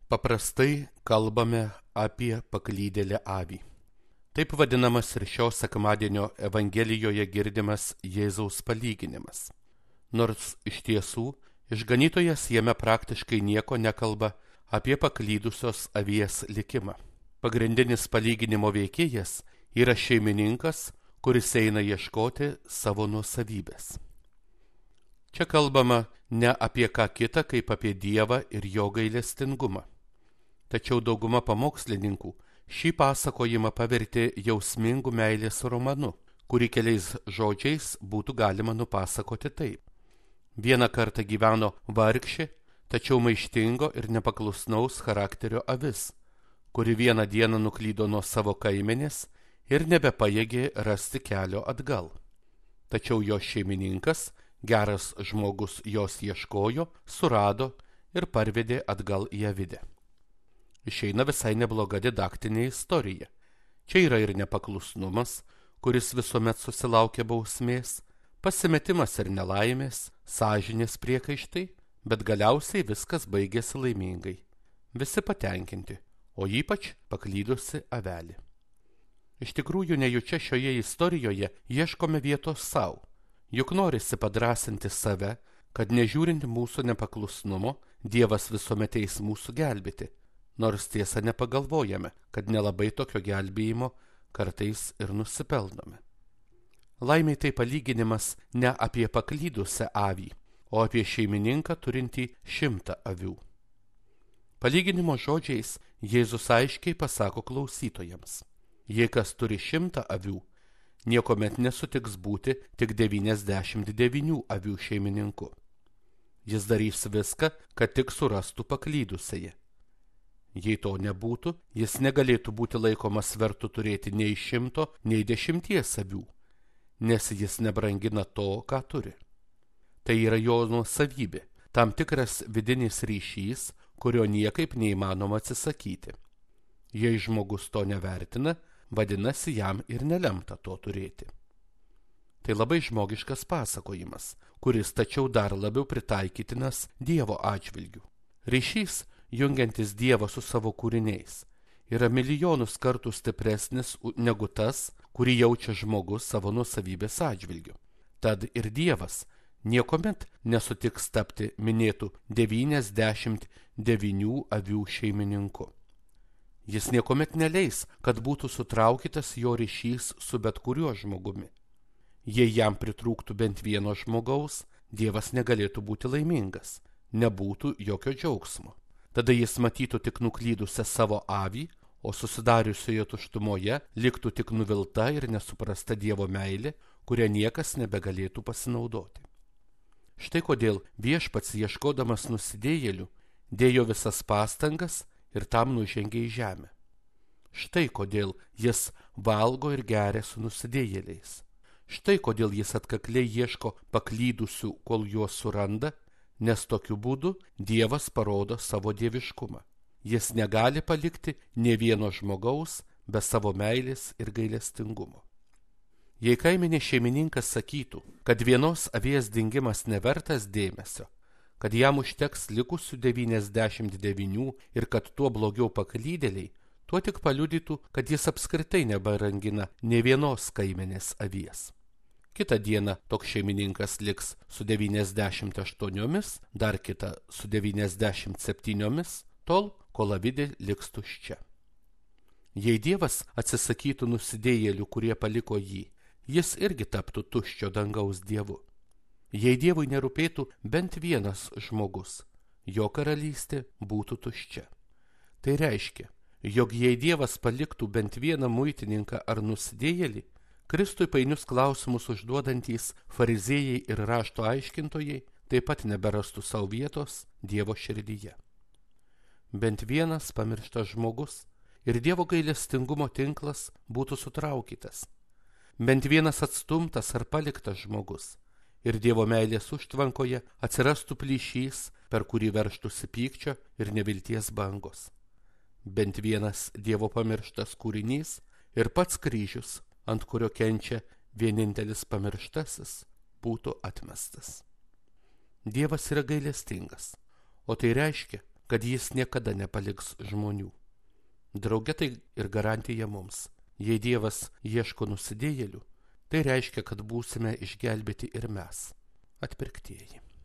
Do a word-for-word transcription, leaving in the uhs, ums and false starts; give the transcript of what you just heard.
Paprastai kalbame apie paklydėlę avį. Taip vadinamas ir šio sekmadienio Evangelijoje girdimas Jėzaus palyginimas. Nors iš tiesų išganytojas jame praktiškai nieko nekalba apie paklydusios avies likimą. Pagrindinis palyginimo veikėjas yra šeimininkas, kuris eina ieškoti savo nuosavybės. Čia kalbama ne apie ką kitą, kaip apie Dievą ir jo gailestingumą. Tačiau dauguma pamokslininkų šį pasakojimą pavertė jausmingu meilės romanu, kurį keliais žodžiais būtų galima nupasakoti taip. Vieną kartą gyveno vargšė, tačiau maištingo ir nepaklusnaus charakterio avis, kuri vieną dieną nuklydo nuo savo kaimenės ir nebepajėgė rasti kelio atgal. Tačiau jos šeimininkas, geras žmogus, jos ieškojo, surado ir parvedė atgal į avidę. Išeina visai nebloga didaktinė istorija. Čia yra ir nepaklusnumas, kuris visuomet susilaukia bausmės, pasimetimas ir nelaimės, sąžinės priekaištai, bet galiausiai viskas baigėsi laimingai. Visi patenkinti, o ypač paklydusi avelė. Iš tikrųjų, nejučia šioje istorijoje ieškome vietos savo, juk norisi padrasinti save, kad nežiūrint mūsų nepaklusnumo, Dievas visuomet eis mūsų gelbėti. Nors tiesa nepagalvojame, kad nelabai tokio gelbėjimo kartais ir nusipelnome. Laimiai tai palyginimas ne apie paklydusią avį, o apie šeimininką turintį šimtą avių. Palyginimo žodžiais Jėzus aiškiai pasako klausytojams: jei kas turi šimtą avių, niekuomet nesutiks būti tik devyniasdešimt devynių avių šeimininku. Jis darys viską, kad tik surastų paklydusiąją. Jei to nebūtų, jis negalėtų būti laikomas vertu turėti nei šimto, nei dešimties avių, nes jis nebrangina to, ką turi. Tai yra jo nuosavybė, tam tikras vidinis ryšys, kurio niekaip neįmanoma atsisakyti. Jei žmogus to nevertina, vadinasi, jam ir nelemta to turėti. Tai labai žmogiškas pasakojimas, kuris tačiau dar labiau pritaikytinas Dievo atžvilgiu. Ryšys, jungiantis Dievą su savo kūriniais, yra milijonus kartų stipresnis negu tas, kurį jaučia žmogus savo nuosavybės atžvilgiu. Tad ir Dievas niekuomet nesutiks tapti minėtų devyniasdešimt devynių avių šeimininku. Jis niekuomet neleis, kad būtų sutraukytas jo ryšys su bet kuriuo žmogumi. Jei jam pritrūktų bent vieno žmogaus, Dievas negalėtų būti laimingas, nebūtų jokio džiaugsmo. Tada jis matytų tik nuklydusią savo avį, o susidariusioje tuštumoje liktų tik nuvilta ir nesuprasta Dievo meilė, kurią niekas nebegalėtų pasinaudoti. Štai kodėl Viešpats, ieškodamas nusidėjėlių, dėjo visas pastangas ir tam nužengė į žemę. Štai kodėl jis valgo ir geria su nusidėjėliais. Štai kodėl jis atkakliai ieško paklydusių, kol juos suranda, nes tokiu būdu Dievas parodo savo dieviškumą. Jis negali palikti nė vieno žmogaus be savo meilės ir gailestingumo. Jei kaimenės šeimininkas sakytų, kad vienos avies dingimas nevertas dėmesio, kad jam užteks likusių devyniasdešimt devynių ir kad tuo blogiau paklydėliai, tuo tik paliudytų, kad jis apskritai nebarangina nė vienos kaimenės avies. Kitą dieną toks šeimininkas liks su devyniasdešimt aštuoniomis, dar kitą su devyniasdešimt septyniomis, tol, kol avidė liks tuščia. Jei Dievas atsisakytų nusidėjėlių, kurie paliko jį, jis irgi taptų tuščio dangaus dievu. Jei Dievui nerūpėtų bent vienas žmogus, jo karalystė būtų tuščia. Tai reiškia, jog jei Dievas paliktų bent vieną muitininką ar nusidėjėlį, Kristui painius klausimus užduodantys fariziejai ir rašto aiškintojai taip pat neberastų savo vietos Dievo širdyje. Bent vienas pamirštas žmogus ir Dievo gailestingumo tinklas būtų sutraukytas. Bent vienas atstumtas ar paliktas žmogus ir Dievo meilės užtvankoje atsirastų plyšys, per kurį verštųsi pykčio ir nevilties bangos. Bent vienas Dievo pamirštas kūrinys ir pats kryžius, ant kurio kenčia vienintelis pamirštasis, būtų atmestas. Dievas yra gailestingas, o tai reiškia, kad jis niekada nepaliks žmonių. Drauge tai ir garantija mums. Jei Dievas ieško nusidėjėlių, tai reiškia, kad būsime išgelbėti ir mes, atpirktieji.